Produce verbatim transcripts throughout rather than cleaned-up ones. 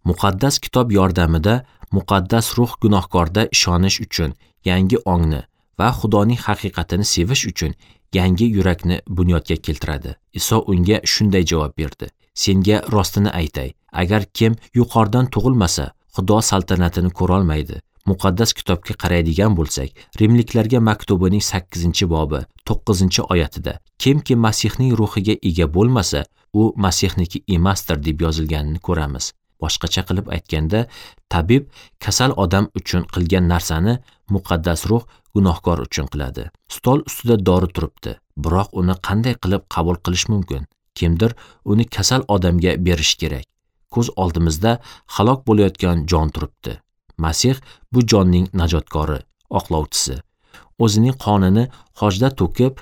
Muqaddas kitob yordamida muqaddas ruh gunohkorda ishonish uchun yangi ongni va Xudoning haqiqatini sevish uchun yangi yurakni bunyodga keltiradi. Iso unga shunday javob berdi: Senga rostini aytay, agar kim yuqoridan tug'ilmasa, Xudo saltanatini ko'ra olmaydi. Muqaddas kitobga qaraydigan bo'lsak, Rimliklarga maktubining sakkizinchi bobi to'qqizinchi oyatida kimki Masihning ruhiga ega bo'lmasa, u Masihniki emasdir deb yozilganini ko'ramiz. Boshqacha qilib aytganda, tabib kasal odam uchun qilgan narsani muqaddas ruh gunohkor uchun qiladi. Stol ustida dori turibdi, biroq uni qanday qilib qabul qilish mumkin? Kimdir uni kasal odamga berish kerak. Ko'z oldimizda halok bo'layotgan jon turibdi. Masih bu jonning najotkori, oqlovchisi. O'zining qonini hojda to'kib,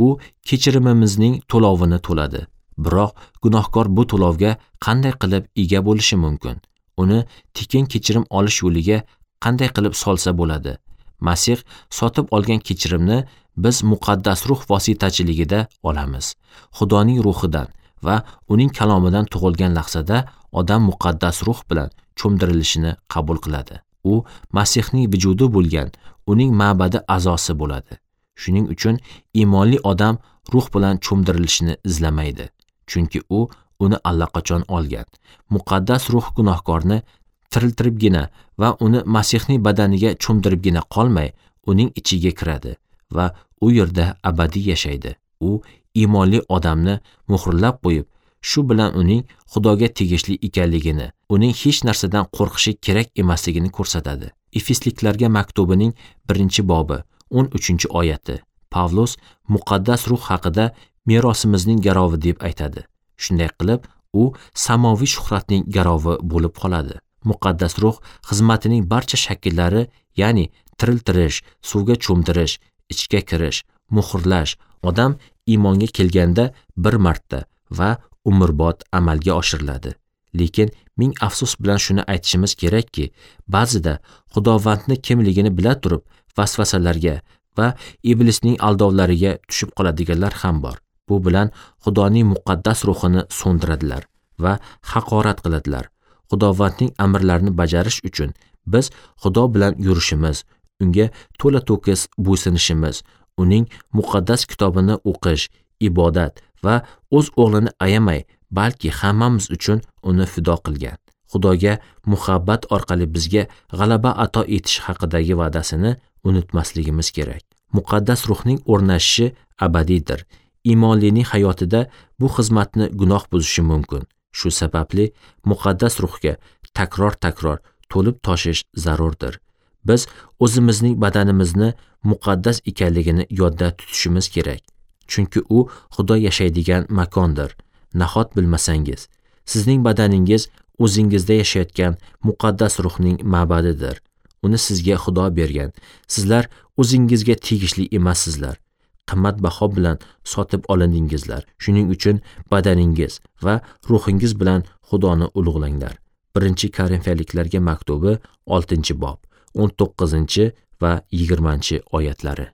u kechirimimizning to'lovini to'ladi. Biroq gunohkor bu to'lovga qanday qilib ega bo'lishi mumkin? Uni tekin kechirim olish yo'liga qanday qilib solsa bo'ladi? Masih sotib olgan kechirimni biz muqaddas ruh vositachiligida olamiz. Xudoning ruhidan va uning kalomidan tug'ilgan lahzada odam muqaddas ruh bilan cho'mdirilishini qabul qiladi. U Masihning vujudi bo'lgan, uning ma'badi a'zosi bo'ladi. Shuning uchun iymonli odam ruh bilan cho'mdirilishini izlamaydi, chunki u uni allaqachon olgan. Muqaddas ruh gunohkorni tiriltiribgina va uni Masihning badaniga cho'mdiribgina qolmay, uning ichiga kiradi va u yerda abadiy yashaydi. U iymonli odamni muhrlab qo'yib, shu bilan uning Xudoga tegishli ekanligini, uning hech narsadan qo'rqishi kerak emasligini ko'rsatadi. Efesliklarga maktubining birinchi bobi o'n uchinchi oyati. Pavlus muqaddas ruh haqida merosimizning garovi deb aytadi. Shunday qilib, u samoviy shuhratning garovi bo'lib qoladi. Muqaddas ruh xizmatining barcha shakllari, ya'ni tiriltirish, suvga cho'mdirish, ichga kirish, muhrlash, odam iymonga kelganda bir marta va umrbod amalga oshiriladi. Lekin ming afsus bilan shuni aytishimiz kerakki, ba'zida Xudovandni kimligini bila turib vasvasalarga va iblisning aldovlariga tushib qoladiganlar ham bor. Bu bilan Xudoning muqaddas ruhini so'ndiradilar va haqorat qiladilar. Xudovandning amrlarini bajarish uchun biz Xudo bilan yurishimiz, unga to'la to'kis bo'ysunishimiz, uning muqaddas kitobini o'qish, ibodat va o'z o'g'lini ayamay, balki hammamiz uchun uni fido qilgan. Xudoga muhabbat orqali bizga g'alaba ato etish haqidagi va'dasini unutmasligimiz kerak. Muqaddas ruhning o'rnashishi abadiydir. Iymonlining hayotida bu xizmatni gunoh buzishi mumkin. Shu sababli muqaddas ruhga takror-takror to'lib toshish zarurdir. Biz o'zimizning badanimizni muqaddas ekanligini yodda tutishimiz kerak. Chunki u Xudo yashaydigan makondir. Nahot bilmasangiz, sizning badaningiz o'zingizda yashayotgan muqaddas ruhning ma'badidir. Uni sizga Xudo bergan. Sizlar o'zingizga tegishli emassizlar. Qimmatbaho bilan sotib olindingizlar. Shuning uchun badaningiz va ruhingiz bilan Xudoni ulug'langlar. Birinchi Korinfiyaliklarga maktubi oltinchi bob, o'n to'qqizinchi va yigirmanchi oyatlari.